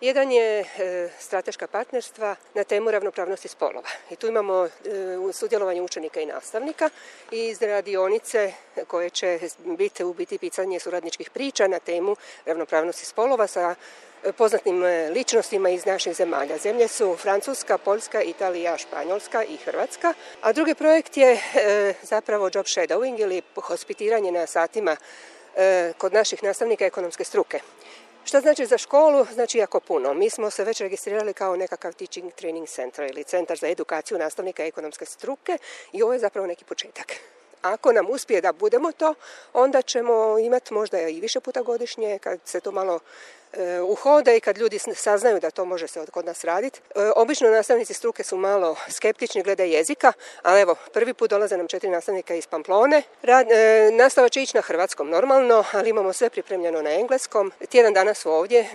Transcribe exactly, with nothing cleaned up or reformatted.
Jedan je e, strateška partnerstva na temu ravnopravnosti spolova. I tu imamo e, sudjelovanje učenika i nastavnika iz radionice koje će biti u biti pisanje suradničkih priča na temu ravnopravnosti spolova sa poznatim ličnostima iz naših zemalja. Zemlje su Francuska, Poljska, Italija, Španjolska i Hrvatska. A drugi projekt je e, zapravo job shadowing ili hospitiranje na satima e, kod naših nastavnika ekonomske struke. Šta znači za školu? Znači jako puno. Mi smo se već registrirali kao nekakav teaching training center ili centar za edukaciju nastavnika ekonomske struke i ovo je zapravo neki početak. Ako nam uspije da budemo to, onda ćemo imati možda i više puta godišnje kad se to malo e, uhode i kad ljudi saznaju da to može se kod nas raditi. E, obično nastavnici struke su malo skeptični glede jezika, ali evo, prvi put dolaze nam četiri nastavnika iz Pamplone. Rad, e, nastava će ići na hrvatskom normalno, ali imamo sve pripremljeno na engleskom. Tjedan dana su ovdje.